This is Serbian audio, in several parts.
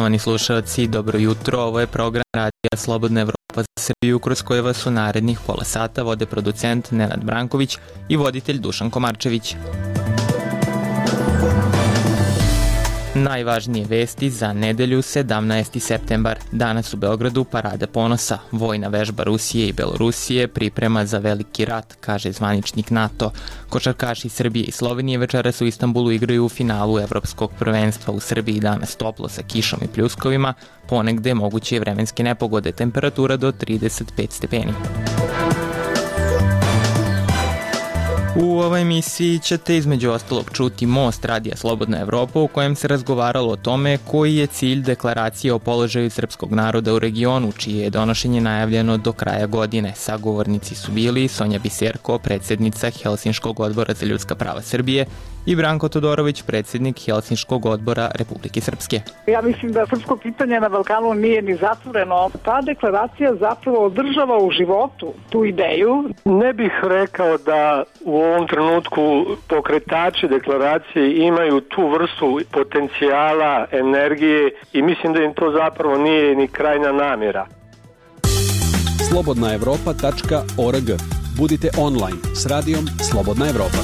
Poštovani slušalci, dobro jutro. Ovo je program Radija Slobodna Evropa za Srbiju, kroz koje vas u narednih pola sata vode producent Nenad Branković i voditelj Dušan Komarčević. Najvažnije vesti za nedelju 17. septembar. Danas u Beogradu Parada ponosa. Vojna vežba Rusije i Belorusije priprema za veliki rat, kaže zvaničnik NATO. Košarkaši Srbije i Slovenije večeras u Istanbulu igraju u finalu Evropskog prvenstva. U Srbiji danas toplo sa kišom i pljuskovima, ponegde moguće vremenske nepogode, temperatura do 35 stepeni. U ovoj emisiji ćete između ostalog čuti Most Radija Slobodna Evropa, u kojem se razgovaralo o tome koji je cilj deklaracije o položaju srpskog naroda u regionu, čije je donošenje najavljeno do kraja godine. Sagovornici su bili Sonja Biserko, predsjednica Helsinškog odbora za ljudska prava Srbije, i Branko Todorović, predsjednik Helsinškog odbora Republike Srpske. Ja mislim da srpsko pitanje na Balkanu nije ni zatvoreno. Ta deklaracija zapravo održava u životu tu ideju. Ne bih rekao da u ovom trenutku pokretači deklaracije imaju tu vrstu potencijala, energije i mislim da im to zapravo nije ni krajnja namjera. slobodnaevropa.org. Budite online s radijom Slobodna Evropa.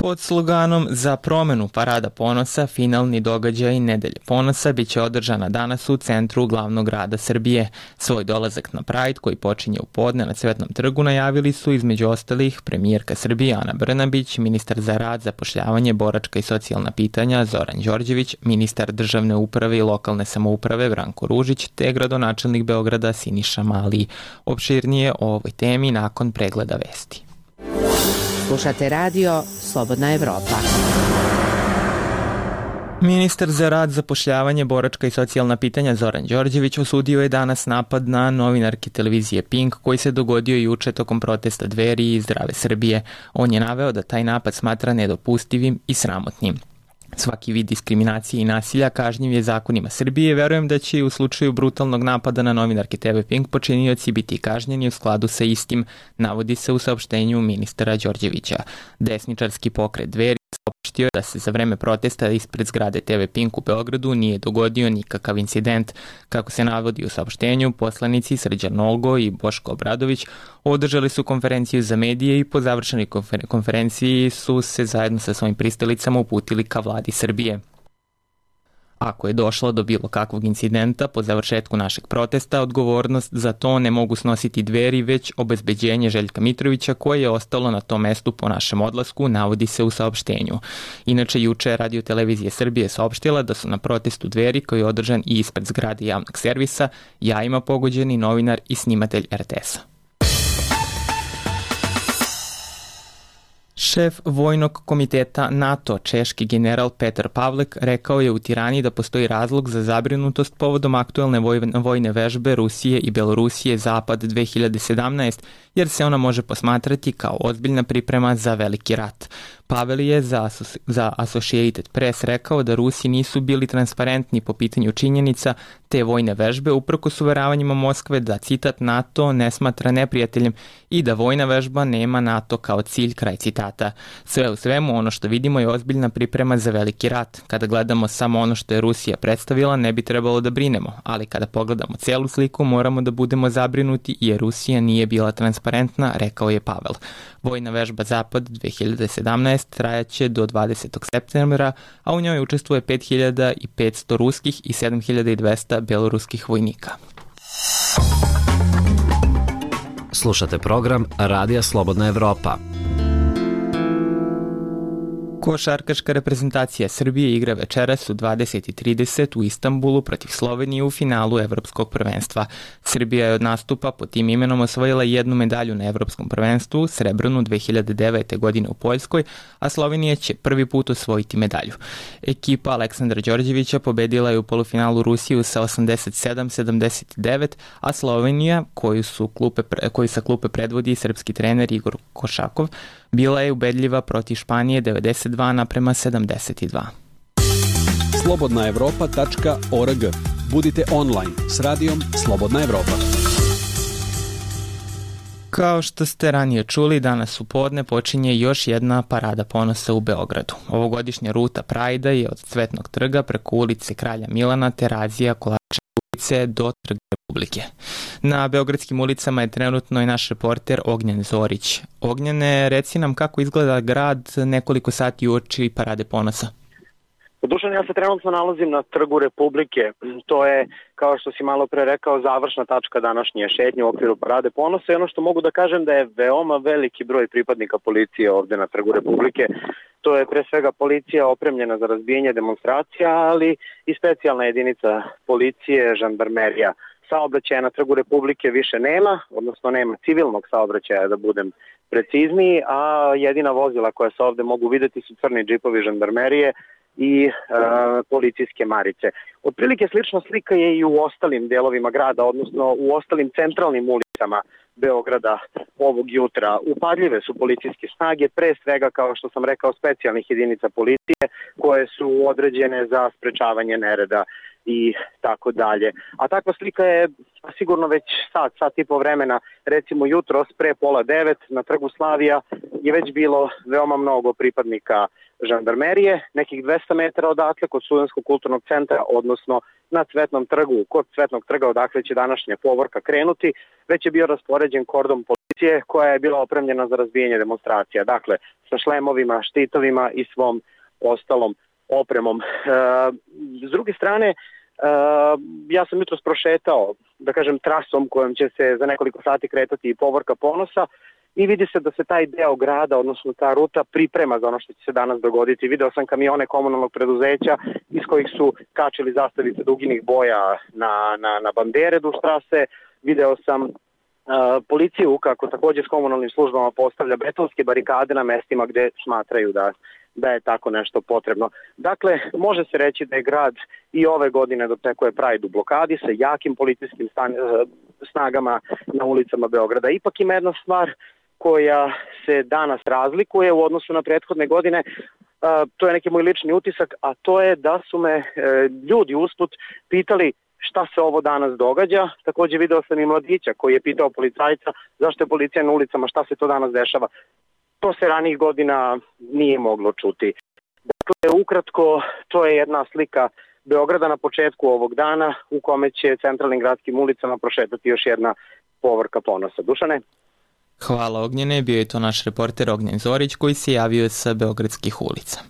Pod sloganom Za promenu Parada ponosa, finalni događaj Nedelje ponosa biće održana danas u centru glavnog grada Srbije. Svoj dolazak na Pride, koji počinje u podne na Cvetnom trgu, najavili su između ostalih premijerka Srbije Ana Brnabić, ministar za rad, zapošljavanje, boračka i socijalna pitanja Zoran Đorđević, ministar državne uprave i lokalne samouprave Branko Ružić, te gradonačelnik Beograda Siniša Mali. Opširnije o ovoj temi nakon pregleda vesti. Slušate radio Slobodna Evropa. Ministar za rad, zapošljavanje, boračka i socijalna pitanja Zoran Đorđević osudio je danas napad na novinarke televizije Pink koji se dogodio juče tokom protesta Dveri i Zdrave Srbije. On je naveo da taj napad smatra nedopustivim i sramotnim. Svaki vid diskriminacije i nasilja kažnjiv je zakonima Srbije. Verujem da će u slučaju brutalnog napada na novinarke TV Pink počinioci biti kažnjeni u skladu sa istim, navodi se u saopštenju ministra Đorđevića. Desničarski pokret Dveri saopštio da se za vreme protesta ispred zgrade TV Pink u Beogradu nije dogodio nikakav incident. Kako se navodi u saopštenju, poslanici Srđan Nogo i Boško Obradović održali su konferenciju za medije i po završenoj konferenciji su se zajedno sa svojim pristalicama uputili ka vladi Srbije. Ako je došlo do bilo kakvog incidenta po završetku našeg protesta, odgovornost za to ne mogu snositi Dveri, već obezbeđenje Željka Mitrovića koje je ostalo na tom mestu po našem odlasku, navodi se u saopštenju. Inače, juče Radio Televizija Srbije saopštila da su na protestu Dveri, koji je održan i ispred zgrade javnog servisa, jajima pogođeni novinar i snimatelj RTS-a. Šef vojnog komiteta NATO, češki general Petar Pavlek, rekao je u Tirani da postoji razlog za zabrinutost povodom aktuelne vojne vežbe Rusije i Belorusije Zapad 2017, jer se ona može posmatrati kao ozbiljna priprema za veliki rat. Pavel je za Associated Press rekao da Rusi nisu bili transparentni po pitanju činjenica te vojne vežbe, uprkos uveravanjima Moskve da, citat, NATO ne smatra neprijateljem i da vojna vežba nema NATO kao cilj, kraj citata. Sve u svemu, ono što vidimo je ozbiljna priprema za veliki rat. Kada gledamo samo ono što je Rusija predstavila, ne bi trebalo da brinemo, ali kada pogledamo celu sliku, moramo da budemo zabrinuti jer Rusija nije bila transparentna, rekao je Pavel. Vojna vežba Zapad 2017 trajaće do 20. septembra, a u njoj učestvuje 5500 ruskih i 7200 beloruskih vojnika. Slušate program Radija Slobodna Evropa. Košarkaška reprezentacija Srbije igra večeras u 20:30 u Istanbulu protiv Slovenije u finalu Evropskog prvenstva. Srbija je od nastupa pod tim imenom osvojila jednu medalju na Evropskom prvenstvu, srebrnu 2009. godine u Poljskoj, a Slovenija će prvi put osvojiti medalju. Ekipa Aleksandra Đorđevića pobedila je u polufinalu Rusiju sa 87-79, a Slovenija, koju sa klupe predvodi srpski trener Igor Košakov, bila je ubedljiva protiv Španije 92:72. slobodnaevropa.org. Budite online s radijom Slobodna Evropa. Kao što ste ranije čuli, danas u podne počinje još jedna parada ponosa u Beogradu. Ovogodišnja ruta Prajda je od Cvetnog trga preko ulice Kralja Milana, Terazija, Kolača ulice do Trga Republike. Na beogradskim ulicama je trenutno i naš reporter Ognjen Zorić. Ognjene, reci nam kako izgleda grad nekoliko sati uoči parade ponosa. Dušan, ja se trenutno nalazim na Trgu Republike. To je, kao što si malo pre rekao, završna tačka današnje šetnje u okviru parade ponosa i ono što mogu da kažem da je veoma veliki broj pripadnika policije ovde na Trgu Republike. To je pre svega policija opremljena za razbijanje demonstracija, ali i specijalna jedinica policije, žandarmerija. Saobraćaja na Trgu Republike više nema, odnosno nema civilnog saobraćaja, da budem precizniji, a jedina vozila koja se ovde mogu videti su crni džipovi žandarmerije i policijske marice. Otprilike slična slika je i u ostalim delovima grada, odnosno u ostalim centralnim ulicama Beograda ovog jutra. Upadljive su policijske snage, pre svega, kao što sam rekao, specijalnih jedinica policije koje su određene za sprečavanje nereda i tako dalje. A takva slika je sigurno već sat i po vremena. Recimo jutros pre 8:30 na Trgu Slavija je već bilo veoma mnogo pripadnika žandarmerije, nekih 200 metara odatle kod Studentskog kulturnog centra, odnosno na Cvetnom trgu, kod Cvetnog trga odakle će današnja povorka krenuti, već je bio raspoređen kordon policije koja je bila opremljena za razbijanje demonstracija. Dakle, sa šlemovima, štitovima i svom ostalom opremom. S druge strane, ja sam jutros prošetao, da kažem, trasom kojom će se za nekoliko sati kretati i povorka ponosa i vidi se da se taj deo grada, odnosno ta ruta, priprema za ono što će se danas dogoditi. Video sam kamione komunalnog preduzeća iz kojih su kačili zastavice duginih boja na bandere duž trase. Video sam policiju kako takođe s komunalnim službama postavlja betonske barikade na mestima gde smatraju da je tako nešto potrebno. Dakle, može se reći da je grad i ove godine dotekuje Pride u blokadi sa jakim policijskim snagama na ulicama Beograda. Ipak ima jedna stvar koja se danas razlikuje u odnosu na prethodne godine, to je neki moj lični utisak, a to je da su me ljudi usput pitali šta se ovo danas događa. Takođe video sam i mladića koji je pitao policajca zašto je policija na ulicama, šta se to danas dešava. To se ranijih godina nije moglo čuti. Dakle, ukratko, to je jedna slika Beograda na početku ovog dana u kome će centralnim gradskim ulicama prošetati još jedna povorka ponosa. Dušane? Hvala Ognjene, bio je to naš reporter Ognjen Zorić koji se javio sa beogradskih ulica.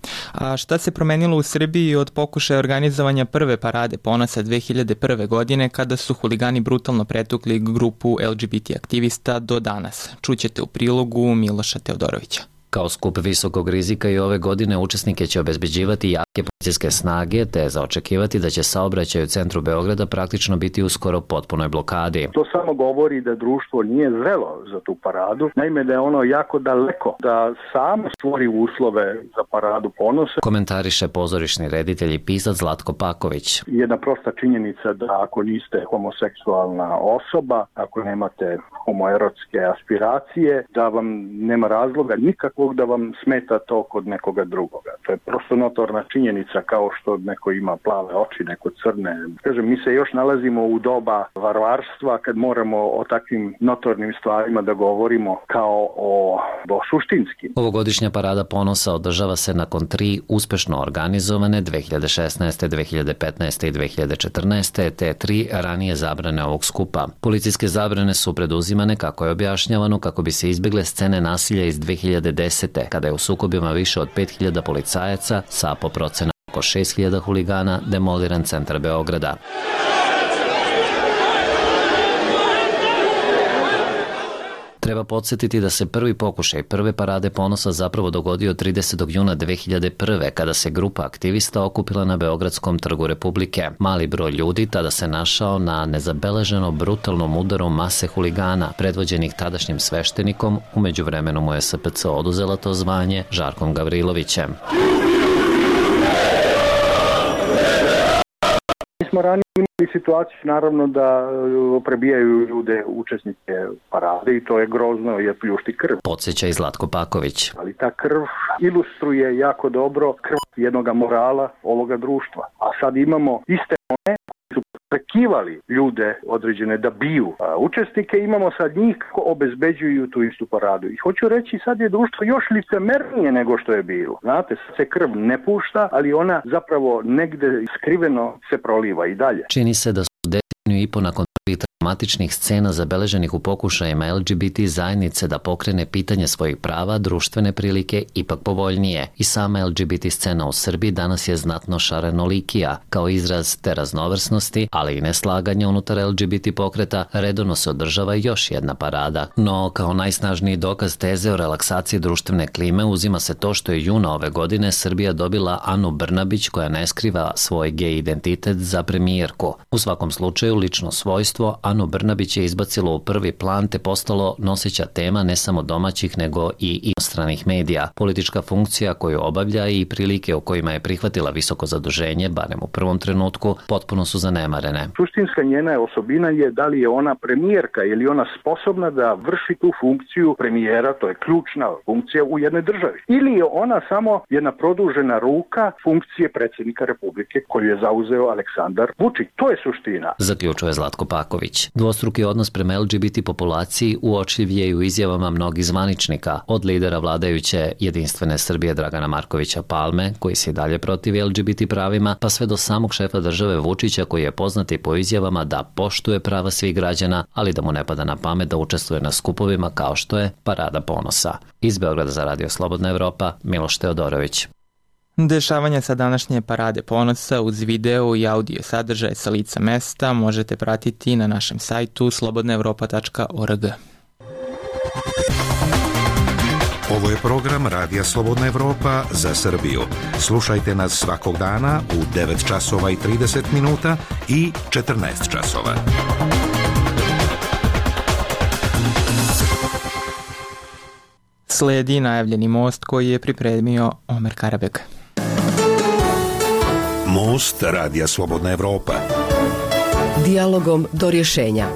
A šta se promenilo u Srbiji od pokušaja organizovanja prve parade ponosa 2001. godine kada su huligani brutalno pretukli grupu LGBT aktivista do danas? Čućete u prilogu Miloša Teodorovića. Kao skup visokog rizika i ove godine učesnike će obezbeđivati jake policijske snage, te za očekivati da će saobraćaj u centru Beograda praktično biti u skoro potpunoj blokadi. To samo govori da društvo nije zrelo za tu paradu, naime da je ono jako daleko da samo stvori uslove za paradu ponosa. Komentariše pozorišni reditelj i pisac Zlatko Paković. Jedna prosta činjenica da ako niste homoseksualna osoba, ako nemate homoerotske aspiracije, da vam nema razloga nikakvog da vam smeta to kod nekoga drugoga. To je prosto notorna činjenica, kao što neko ima plave oči, neko crne. Kažem, mi se još nalazimo u doba varvarstva kad moramo o takvim notornim stvarima da govorimo kao o suštinskim. Ovogodišnja parada ponosa održava se nakon 3 uspešno organizovane 2016., 2015. i 2014. te 3 ranije zabrane ovog skupa. Policijske zabrane su preduzimane, kako je objašnjavano, kako bi se izbjegle scene nasilja iz 2010. kada je u sukobima više od 5000 policajaca sa po procena oko 6000 huligana demoliran centar Beograda. Treba podsjetiti da se prvi pokušaj prve parade ponosa zapravo dogodio 30. juna 2001. kada se grupa aktivista okupila na Beogradskom trgu Republike. Mali broj ljudi tada se našao na nezabeleženo brutalnom udaru mase huligana, predvođenih tadašnjim sveštenikom, u međuvremenu mu je SPC oduzela to zvanje, Žarkom Gavrilovićem. Mi smo ranije imali situaciju naravno da prebijaju ljude učesnike parade i to je grozno jer pljušti krv. Podsjeća i Zlatko Paković. Ali ta krv ilustruje jako dobro krv jednog morala ovoga društva. A sad imamo iste one koji su prekinuli priželjkivali ljude određene da biju učesnike, imamo sad njih kako obezbeđuju tu istu paradu. I hoću reći, sad je društvo još licemernije nego što je bilo. Znate, sad se krv ne pušta, ali ona zapravo negde skriveno se proliva i dalje. Čini se da su deceniju i po nakon dramatičnih scena zabeleženih u pokušajima LGBT zajednice da pokrene pitanje svojih prava, društvene prilike ipak povoljnije. I sama LGBT scena u Srbiji danas je znatno šarenolikija. Kao izraz te raznovrsnosti, ali i neslaganja unutar LGBT pokreta, redovno se održava još jedna parada. No, kao najsnažniji dokaz teze o relaksaciji društvene klime uzima se to što je juna ove godine Srbija dobila Anu Brnabić, koja ne skriva svoj gej identitet, za premijerku. U svakom slučaju, lično svojstvo Anu Brnabić je izbacilo u prvi plan te postalo noseća tema ne samo domaćih nego i inostranih medija. Politička funkcija koju obavlja i prilike u kojima je prihvatila visoko zaduženje, barem u prvom trenutku, potpuno su zanemarene. Suštinska njena osobina je da li je ona premijerka ili ona sposobna da vrši tu funkciju premijera, to je ključna funkcija u jednoj državi. Ili je ona samo jedna produžena ruka funkcije predsjednika Republike koju je zauzeo Aleksandar Vučić. To je suština. Zaključuje Zlatko Paković. Dvostruki odnos prema LGBT populaciji uočljiv je i u izjavama mnogih zvaničnika, od lidera vladajuće Jedinstvene Srbije Dragana Markovića Palme, koji se i dalje protivi LGBT pravima, pa sve do samog šefa države Vučića, koji je poznat i po izjavama da poštuje prava svih građana, ali da mu ne pada na pamet da učestvuje na skupovima kao što je Parada ponosa. Iz Beograda za Radio Slobodna Evropa, Miloš Teodorović. Dešavanja sa današnje Parade ponosa uz video i audio sadržaje sa lica mesta možete pratiti na našem sajtu slobodnaevropa.org. Ovo je program Radija Slobodna Evropa za Srbiju. Slušajte nas svakog dana u 9 časova i 30 minuta i 14 časova. Sledi najavljeni most koji je pripremio Omer Karabek. Most Radija Slobodna Evropa. Dijalogom do rješenja.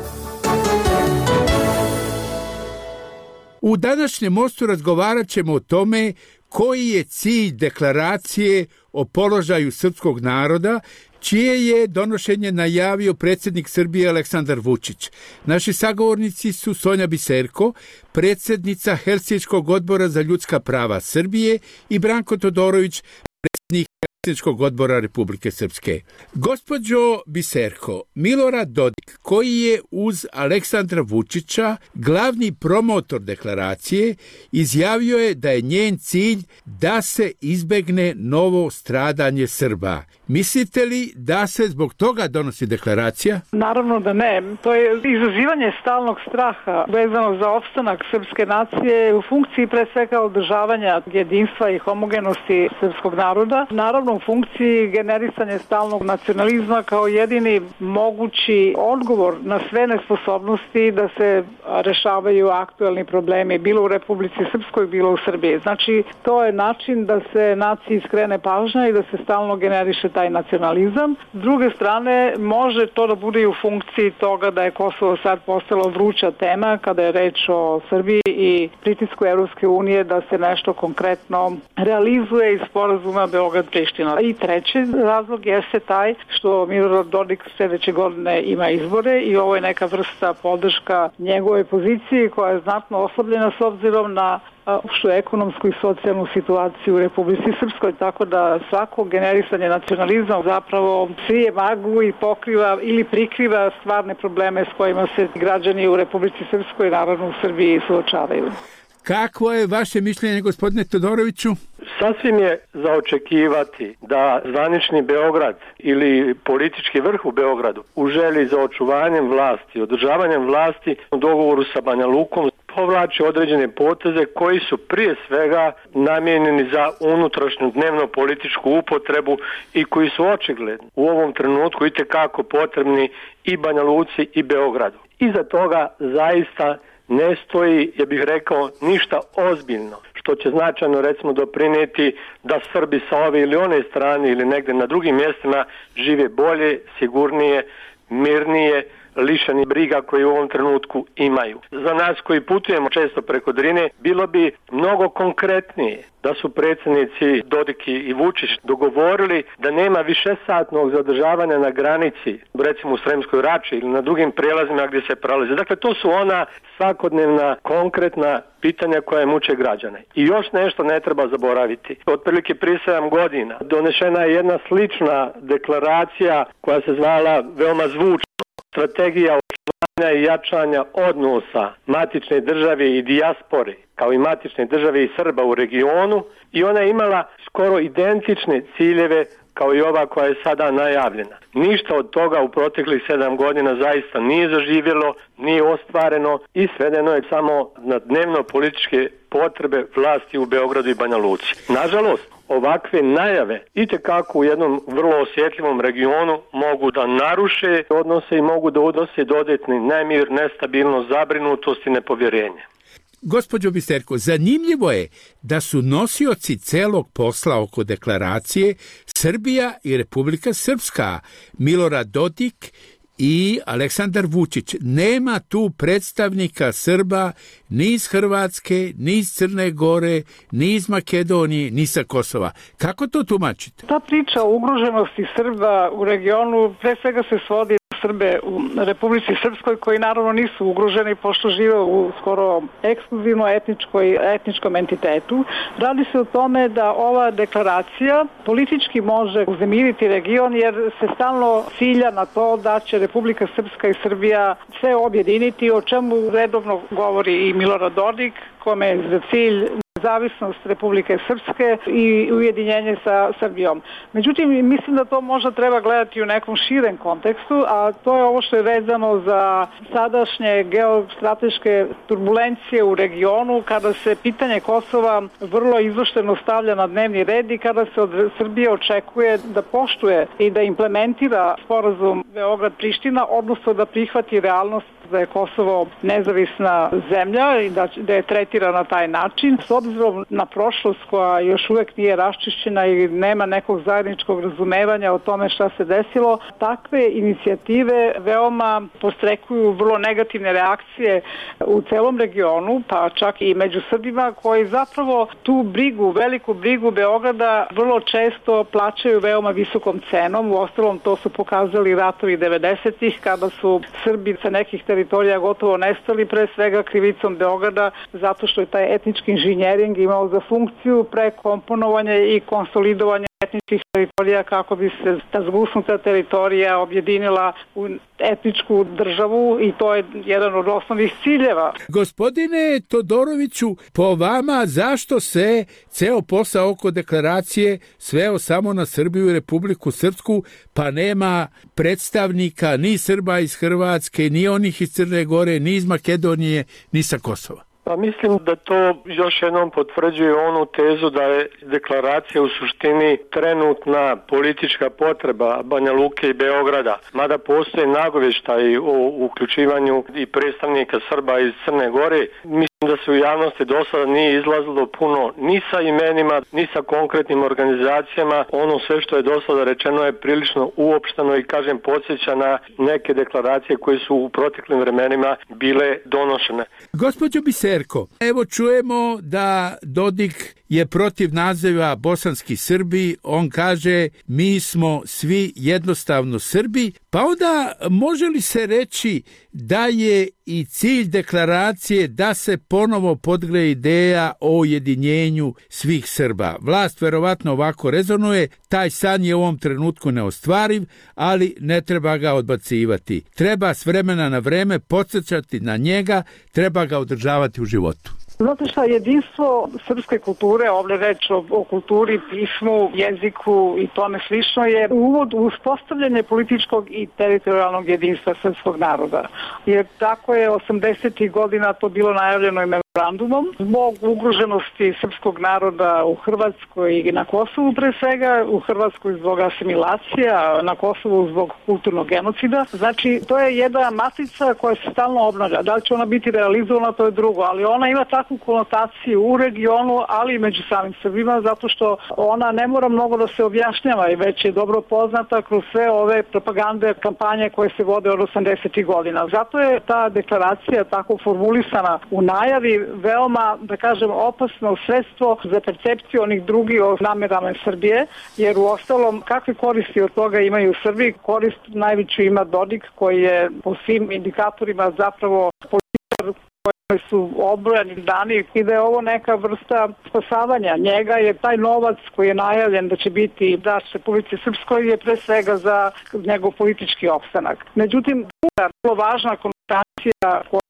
U današnjem mostu razgovarat ćemo o tome koji je cilj deklaracije o položaju srpskog naroda, čije je donošenje najavio predsjednik Srbije Aleksandar Vučić. Naši sagovornici su Sonja Biserko, predsjednica Helsinškog odbora za ljudska prava Srbije, i Branko Todorović, predsjednik Helsinškog odbora Republike Srpske. Gospođo Biserko, Milorad Dodik, koji je uz Aleksandra Vučića glavni promotor deklaracije, izjavio je da je njen cilj da se izbegne novo stradanje Srba. Mislite li da se zbog toga donosi deklaracija? Naravno da ne. To je izazivanje stalnog straha vezano za opstanak srpske nacije u funkciji pre svega održavanja jedinstva i homogenosti srpskog naroda. Naravno u funkciji generisanja stalnog nacionalizma kao jedini mogući odgovor na sve nesposobnosti da se rešavaju aktuelni problemi bilo u Republici Srpskoj, bilo u Srbiji. Znači to je način da se naciji skrene pažnja i da se stalno generiše taj nacionalizam. S druge strane, može to da bude i u funkciji toga da je Kosovo sad postalo vruća tema kada je reč o Srbiji i pritisku Evropske unije da se nešto konkretno realizuje iz sporazuma Beograd-Priština. I treći razlog jeste taj što Milorad Dodik sljedeće godine ima izbore i ovo je neka vrsta podrška njegove poziciji koja je znatno oslabljena s obzirom na opštu ekonomsku i socijalnu situaciju u Republici Srpskoj, tako da svako generisanje nacionalizma zapravo sije maglu i pokriva ili prikriva stvarne probleme s kojima se građani u Republici Srpskoj, naravno u Srbiji, suočavaju. Kakvo je vaše mišljenje, gospodine Todoroviću? Sasvim je za očekivati da zvanični Beograd ili politički vrh u Beogradu u želji za očuvanjem vlasti, održavanjem vlasti u dogovoru sa Banja Lukom povlači određene poteze koji su prije svega namijenjeni za unutrašnju dnevno političku upotrebu i koji su očigledni u ovom trenutku itekako potrebni i Banja Luci i Beogradu. Iza toga zaista ne stoji, ja bih rekao, ništa ozbiljno, što će značajno recimo doprinijeti da Srbi sa ove ili one strane ili negdje na drugim mjestima žive bolje, sigurnije, mirnije, lišeni briga koji u ovom trenutku imaju. Za nas koji putujemo često preko Drine, bilo bi mnogo konkretnije da su predsjednici Dodik i Vučić dogovorili da nema višesatnog zadržavanja na granici, recimo u Sremskoj Rači ili na drugim prijelazima gdje se prelaze. Dakle, to su ona svakodnevna, konkretna pitanja koja muče građane. I još nešto ne treba zaboraviti. Otprilike prije 7 godina donešena je jedna slična deklaracija koja se zvala veoma zvučno Strategija očuvanja i jačanja odnosa matične države i dijaspore, kao i matične države i Srba u regionu, i ona je imala skoro identične ciljeve kao i ova koja je sada najavljena. Ništa od toga u proteklih 7 godina zaista nije zaživjelo, nije ostvareno i svedeno je samo na dnevno političke potrebe vlasti u Beogradu i Banja Luci. Nažalost, ovakve najave itekako u jednom vrlo osjetljivom regionu mogu da naruše odnose i mogu da udose dodatni nemir, nestabilnost, zabrinutost i nepovjerenje. Gospođo Biserko, zanimljivo je da su nosioci celog posla oko deklaracije Srbija i Republika Srpska, Milorad Dodik i Aleksandar Vučić. Nema tu predstavnika Srba ni iz Hrvatske, ni iz Crne Gore, ni iz Makedonije, ni sa Kosova. Kako to tumačite? Ta priča o ugroženosti Srba u regionu pre svega se svodi Srbe u Republici Srpskoj, koji naravno nisu ugroženi pošto žive u skoro ekskluzivno etničkom entitetu. Radi se o tome da ova deklaracija politički može uzemiriti region, jer se stalno cilja na to da će Republika Srpska i Srbija sve objediniti, o čemu redovno govori i Milorad Dodik, kome je za cilj nezavisnost Republike Srpske i ujedinjenje sa Srbijom. Međutim, mislim da to možda treba gledati u nekom širem kontekstu, a to je ovo što je vezano za sadašnje geostrateške turbulencije u regionu, kada se pitanje Kosova vrlo izvršteno stavlja na dnevni red i kada se od Srbije očekuje da poštuje i da implementira sporazum Beograd-Priština, odnosno da prihvati realnost da je Kosovo nezavisna zemlja i da je tretira na taj način. S obzirom na prošlost koja još uvek nije raščišćena i nema nekog zajedničkog razumevanja o tome šta se desilo, takve inicijative veoma postrekuju vrlo negativne reakcije u celom regionu, pa čak i među Srbima, koji zapravo tu brigu, veliku brigu Beograda vrlo često plaćaju veoma visokom cenom. Uostalom, to su pokazali ratovi 90-ih, kada su Srbi sa nekih teritorija gotovo nestali, pre svega krivicom Beograda, zato što je taj etnički inženjering imao za funkciju prekomponovanje i konsolidovanje etničkih teritorija kako bi se ta zgusnuta teritorija objedinila u etničku državu, i to je jedan od osnovnih ciljeva. Gospodine Todoroviću, po vama zašto se ceo posao oko deklaracije sveo samo na Srbiju i Republiku Srpsku, pa nema predstavnika ni Srba iz Hrvatske, ni onih iz Crne Gore, ni iz Makedonije, ni sa Kosova? Pa mislim da to još jednom potvrđuje onu tezu da je deklaracija u suštini trenutna politička potreba Banja Luke i Beograda. Mada postoje nagovještaji o uključivanju i predstavnika Srba iz Crne Gore, mislim da se u javnosti do sada nije izlazilo puno ni sa imenima, ni sa konkretnim organizacijama. Ono sve što je do sada rečeno je prilično uopšteno i, kažem, podsjeća na neke deklaracije koje su u proteklim vremenima bile donošene. Gospođo Biserko, evo čujemo da Dodik je protiv naziva bosanski Srbi. On kaže mi smo svi jednostavno Srbi, pa onda može li se reći da je i cilj deklaracije da se ponovo podgre ideja o ujedinjenju svih Srba? Vlast verovatno ovako rezonuje, taj san je u ovom trenutku neostvariv, ali ne treba ga odbacivati. Treba s vremena na vreme podsjećati na njega, treba ga održavati u životu. Znate šta, jedinstvo srpske kulture, ovdje reč o kulturi, pismu, jeziku i tome slično, je uvod u uspostavljanje političkog i teritorijalnog jedinstva srpskog naroda. Jer tako je 80. godina to bilo najavljeno i memorandumom zbog ugroženosti srpskog naroda u Hrvatskoj i na Kosovu pre svega, u Hrvatskoj zbog asimilacija, na Kosovu zbog kulturnog genocida. Znači, to je jedna matrica koja se stalno obnavlja. Da li će ona biti realizovana, to je drugo, ali ona ima takvu konotaciju u regionu, ali i među samim Srbima, zato što ona ne mora mnogo da se objašnjava i već je dobro poznata kroz sve ove propagande, kampanje koje se vode od 80. godina. Zato je ta deklaracija tako formulisana u najavi veoma, da kažem, opasno sredstvo za percepciju onih drugih o namerama Srbije, jer u ostalom kakve koristi od toga imaju u Srbiji? Korist najveću ima Dodik, koji je po svim indikatorima zapravo političar koji su obrojani dani i da je ovo neka vrsta spasavanja njega, jer taj novac koji je najavljen da će biti daš Republici Srpskoj je pre svega za njegov politički opstanak. Međutim, druga vrlo važna konotacija koja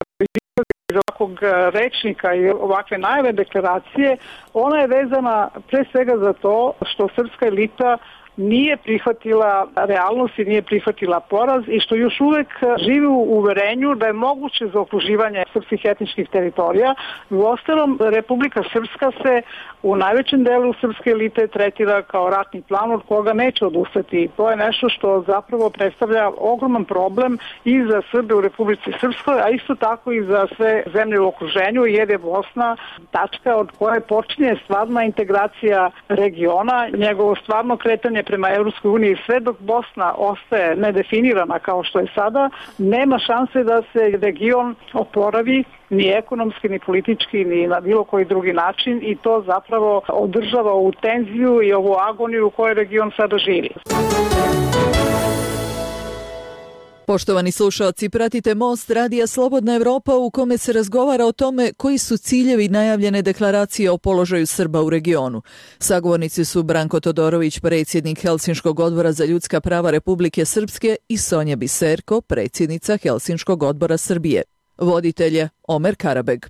iz ovakvog rečnika i ovakve najave deklaracije, ona je vezana pre svega za to što srpska elita nije prihvatila realnost i nije prihvatila poraz i što još uvek živi u uverenju da je moguće zaokruživanje srpskih etničkih teritorija. U ostalom, Republika Srpska se u najvećem delu srpske elite tretira kao ratni plan od koga neće odustati. To je nešto što zapravo predstavlja ogroman problem i za Srbe u Republici Srpskoj, a isto tako i za sve zemlje u okruženju, jer je Bosna tačka od koje počinje stvarna integracija regiona, njegovo stvarno kretanje prema Evropskoj uniji. Sve dok Bosna ostaje nedefinirana kao što je sada, nema šanse da se region oporavi ni ekonomski, ni politički, ni na bilo koji drugi način i to zapravo održava ovu tenziju i ovu agoniju u kojoj region sada živi. Poštovani slušalci, pratite Most Radija Slobodna Evropa u kome se razgovara o tome koji su ciljevi najavljene deklaracije o položaju Srba u regionu. Sagovornici su Branko Todorović, predsjednik Helsinškog odbora za ljudska prava Republike Srpske i Sonja Biserko, predsjednica Helsinškog odbora Srbije. Voditelj je Omer Karabeg.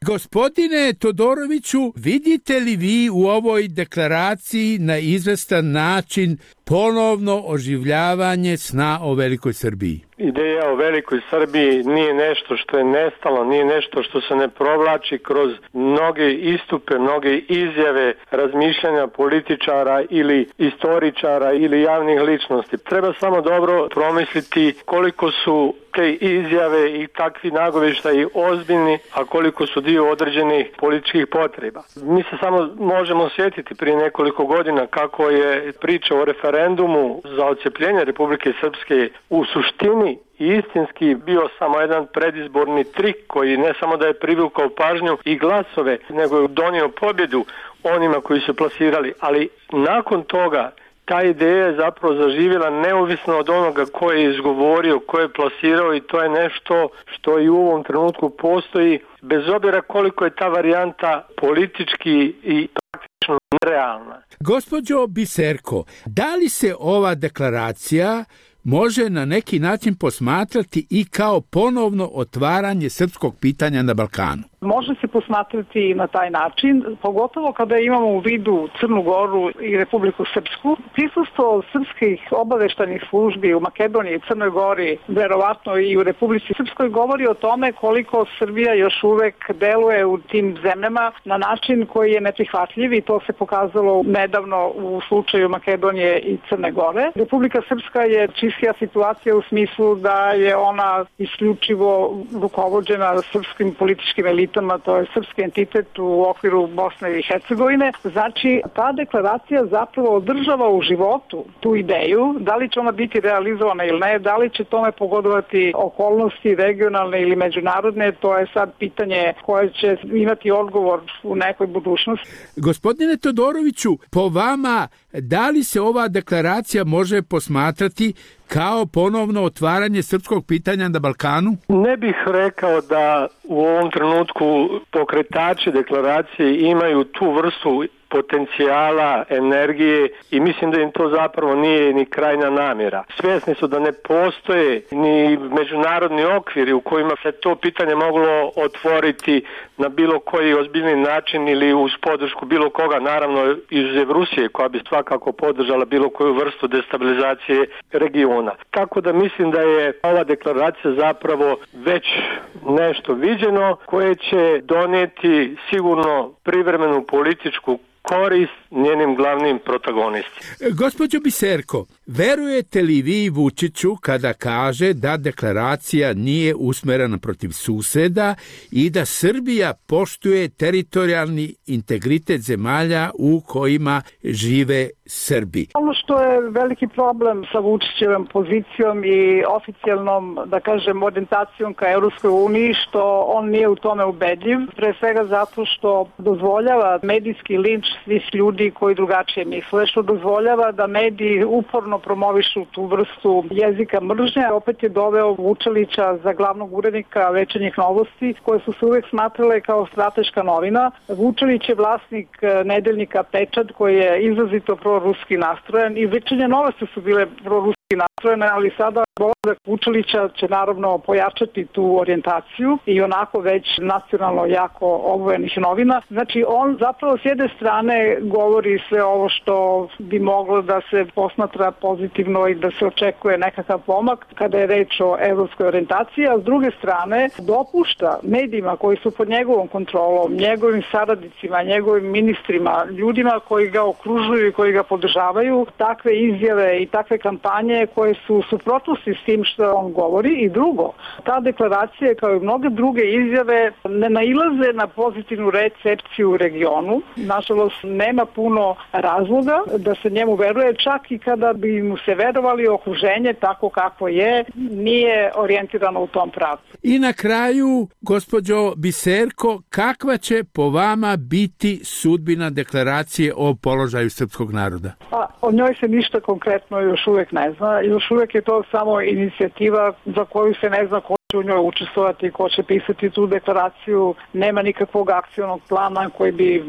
Gospodine Todoroviću, vidite li vi u ovoj deklaraciji na izvestan način ponovno oživljavanje sna o Velikoj Srbiji? Ideja o Velikoj Srbiji nije nešto što je nestalo, nije nešto što se ne provlači kroz mnoge istupe, mnoge izjave, razmišljanja političara ili istoričara ili javnih ličnosti. Treba samo dobro promisliti koliko su te izjave i takvi nagovještaji ozbiljni, a koliko su dio određenih političkih potreba. Mi se samo možemo sjetiti prije nekoliko godina kako je priča o referendumu za odcepljenje Republike Srpske u suštini i istinski bio samo jedan predizborni trik koji ne samo da je privukao pažnju i glasove, nego je donio pobjedu onima koji su plasirali. Ali nakon toga ta ideja je zapravo zaživjela neovisno od onoga ko je izgovorio, ko je plasirao i to je nešto što i u ovom trenutku postoji, bez obzira koliko je ta varijanta politički i praktično nerealna. Gospođo Biserko, da li se ova deklaracija može na neki način posmatrati i kao ponovno otvaranje srpskog pitanja na Balkanu? Može se posmatrati na taj način, pogotovo kada imamo u vidu Crnu Goru i Republiku Srpsku. Prisustvo srpskih obaveštajnih službi u Makedoniji i Crnoj Gori, verovatno i u Republici Srpskoj, govori o tome koliko Srbija još uvek deluje u tim zemljama na način koji je neprihvatljiv i to se pokazalo nedavno u slučaju Makedonije i Crne Gore. Republika Srpska je čistija situacija u smislu da je ona isključivo rukovođena srpskim političkim elitama, to je srpski entitet u okviru Bosne i Hercegovine. Znači, ta deklaracija zapravo održava u životu tu ideju, da li će ona biti realizovana ili ne, da li će tome pogodovati okolnosti regionalne ili međunarodne, to je sad pitanje koje će imati odgovor u nekoj budućnosti. Gospodine Todoroviću, po vama, da li se ova deklaracija može posmatrati kao ponovno otvaranje srpskog pitanja na Balkanu? Ne bih rekao da u ovom trenutku pokretači deklaracije imaju tu vrstu potencijala, energije i mislim da im to zapravo nije ni krajna namjera. Svjesni su da ne postoje ni međunarodni okviri u kojima se to pitanje moglo otvoriti na bilo koji ozbiljni način ili uz podršku bilo koga, naravno izuzev Rusije koja bi svakako podržala bilo koju vrstu destabilizacije regiona. Tako da mislim da je ova deklaracija zapravo već nešto viđeno koje će donijeti sigurno privremenu političku korist njenim glavnim protagonistima. Gospođo Biserko, verujete li vi Vučiću kada kaže da deklaracija nije usmerena protiv suseda i da Srbija poštuje teritorijalni integritet zemalja u kojima žive Srbi? Ono što je veliki problem sa Vučićevom pozicijom i oficijalnom, da kažem, orijentacijom ka Europskoj uniji, što on nije u tome ubedljiv, pre svega zato što dozvoljava medijski linč svih ljudi koji drugačije misle, što dozvoljava da mediji uporno promovišu tu vrstu jezika mržnje. Opet je doveo Vučelića za glavnog urednika Večernjih novosti, koje su se uvek smatrale kao strateška novina. Vučelić je vlasnik nedeljnika Pečat, koji je izrazito proruski nastrojen i Večernje novosti su bile proruski nastrojene, ali sada dolazak Vučelića će naravno pojačati tu orijentaciju i onako već nacionalno jako obojenih novina. Znači on zapravo s jedne strane govori sve ovo što bi moglo da se posmatra pozitivno i da se očekuje nekakav pomak kada je reč o evropskoj orijentaciji, a s druge strane dopušta medijima koji su pod njegovom kontrolom, njegovim saradnicima, njegovim ministrima, ljudima koji ga okružuju i koji ga podržavaju, takve izjave i takve kampanje koje su suprotnosti s tim što on govori. I drugo, ta deklaracija kao i mnoge druge izjave ne nailaze na pozitivnu recepciju u regionu. Nažalost, nema puno razloga da se njemu veruje, čak i kada bi mu se verovali, okruženje tako kako je, nije orijentirano u tom pravcu. I na kraju, gospođo Biserko, kakva će po vama biti sudbina deklaracije o položaju srpskog naroda? O njoj se ništa konkretno još uvek ne zna. Još uvek je to samo inicijativa za koju se ne zna ko će u njoj učestvovati, ko će pisati tu deklaraciju. Nema nikakvog akcionog plana koji bi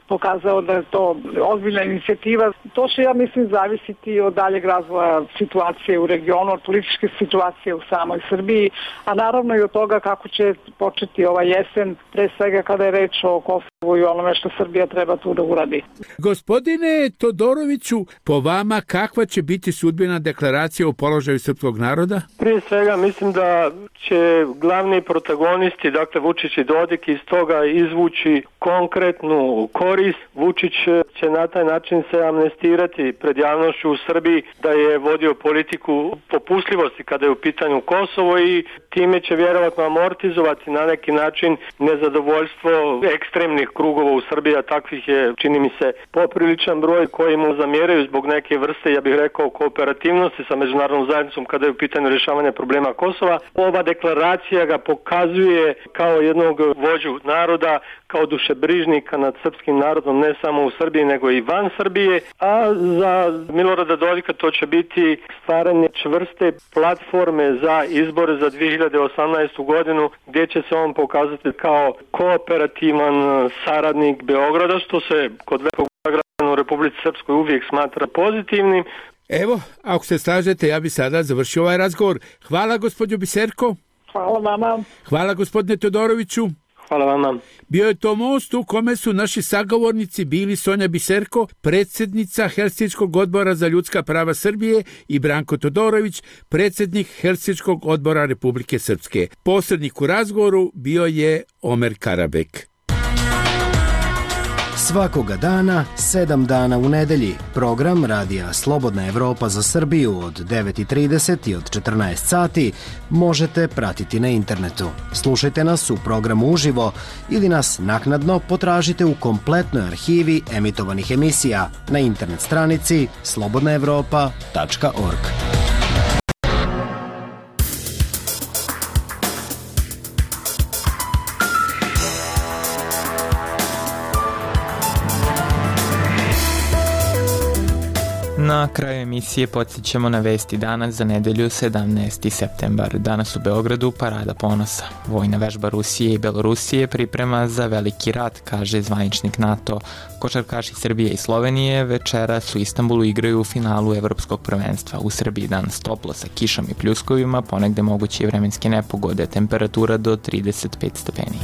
pokazao da je to ozbiljna inicijativa. To će, ja mislim, zavisiti od daljeg razvoja situacije u regionu, od političke situacije u samoj Srbiji, a naravno i od toga kako će početi ova jesen, pre svega kada je reč o Kosovu i onome što Srbija treba tu da uradi. Gospodine Todoroviću, po vama kakva će biti sudbina deklaracije o položaju srpskog naroda? Prije svega mislim da će glavni protagonisti, dakle Vučić i Dodik, iz toga izvući konkretnu korist. Vučić će na taj način se amnestirati pred javnošću u Srbiji da je vodio politiku popustljivosti kada je u pitanju Kosovo i time će vjerovatno amortizovati na neki način nezadovoljstvo ekstremnih krugova u Srbiji, a takvih je, čini mi se, popriličan broj koji mu zamjeraju zbog neke vrste, ja bih rekao, kooperativnosti sa međunarodnom zajednicom kada je u pitanju rješavanja problema Kosova. Ova deklaracija ga pokazuje kao jednog vođu naroda, kao dušebrižnika nad srpskim narodom, ne samo u Srbiji nego i van Srbije, a za Milorada Dodika to će biti stvaranje čvrste platforme za izbore za 2018. godinu, gdje će se on pokazati kao kooperativan saradnik Beograda, što se kod velikog građana u Republici Srpskoj uvijek smatra pozitivnim. Evo, ako se slažete, ja bi sada završio ovaj razgovor. Hvala, gospođo Biserko. Hvala vama. Hvala, gospodine Todoroviću. Hvala vama. Bio je to most u kome su naši sagovornici bili Sonja Biserko, predsjednica Helsinškog odbora za ljudska prava Srbije, i Branko Todorović, predsjednik Helsinškog odbora Republike Srpske. Posrednik u razgovoru bio je Omer Karabek. Svakoga dana, 7 dana u nedelji, program Radija Slobodna Evropa za Srbiju od 9:30 i od 14 sati možete pratiti na internetu. Slušajte nas u programu uživo ili nas naknadno potražite u kompletnoj arhivi emitovanih emisija na internet stranici slobodnaevropa.org. Na kraju emisije podsjećamo na vesti danas za nedelju 17. septembar. Danas u Beogradu Parada ponosa. Vojna vežba Rusije i Belorusije priprema za veliki rat, kaže zvaničnik NATO. Košarkaši Srbije i Slovenije večeras u Istanbulu igraju u finalu Evropskog prvenstva. U Srbiji danas toplo sa kišom i pljuskovima, ponegde moguće i vremenske nepogode, temperatura do 35 stepeni.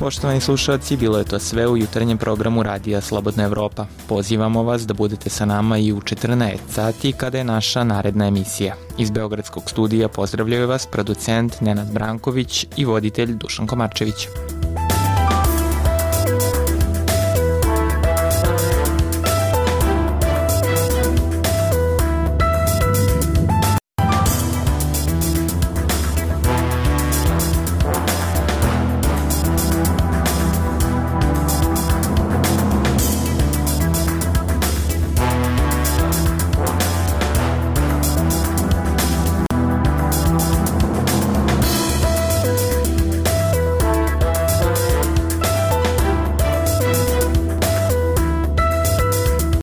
Poštovani slušalci, bilo je to sve u jutarnjem programu Radija Slobodna Evropa. Pozivamo vas da budete sa nama i u 14 sati kada je naša naredna emisija. Iz Beogradskog studija pozdravljaju vas producent Nenad Branković i voditelj Dušan Komarčević.